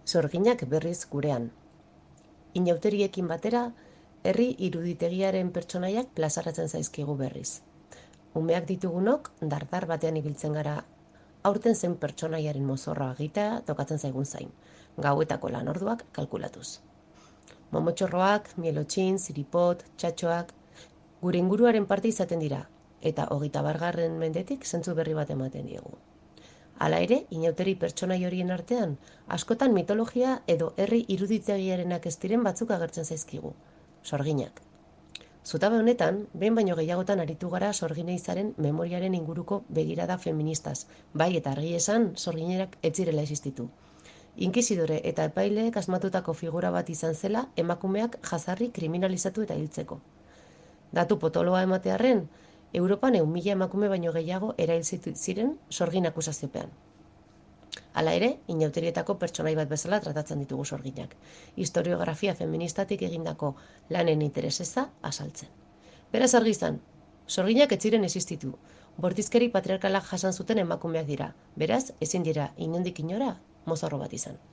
Sorginak berriz gurean. Inauteriekin batera, herri iruditegiaren pertsonaiak plazaratzen zaizkigu berriz. Umeak ditugunok, dardar batean ibiltzen gara, aurten zen pertsonaiaren mozorroa egitea tokatzen zaigun zain, gauetako lanorduak kalkulatuz. Momotxorroak, mielotxin, ziripot, txatxoak, gure inguruaren parte izaten dira, eta 21. mendetik zentzu berri bat ematen diegu. Hala ere, inauteri pertsonai horien artean, askotan mitologia edo herri iruditegiarenak ez diren batzuk agertzen zaizkigu. Sorginak. Zutabe honetan, behin baino gehiagotan aritu gara sorgineizaren memoriaren inguruko begirada feministaz, bai eta argi esan sorginerak ez zirela existitu. Inkizidore eta epaileek asmatutako figura bat izan zela emakumeak jazarri kriminalizatu eta hiltzeko. Datu potoloa ematearren, Europan 1.000 emakume baino gehiago erail ziren sorgin akusaziopean. Hala ere, inauterietako pertsonai bat bezala tratatzen ditugu sorginak. Historiografia feministatik egindako lanen intereseza azaltzen. Beraz argi izan, sorginak ez ziren existitu. Bortizkeri patriarkalak jasan zuten emakumeak dira. Beraz, ezin dira inondik inora mozorro bat izan.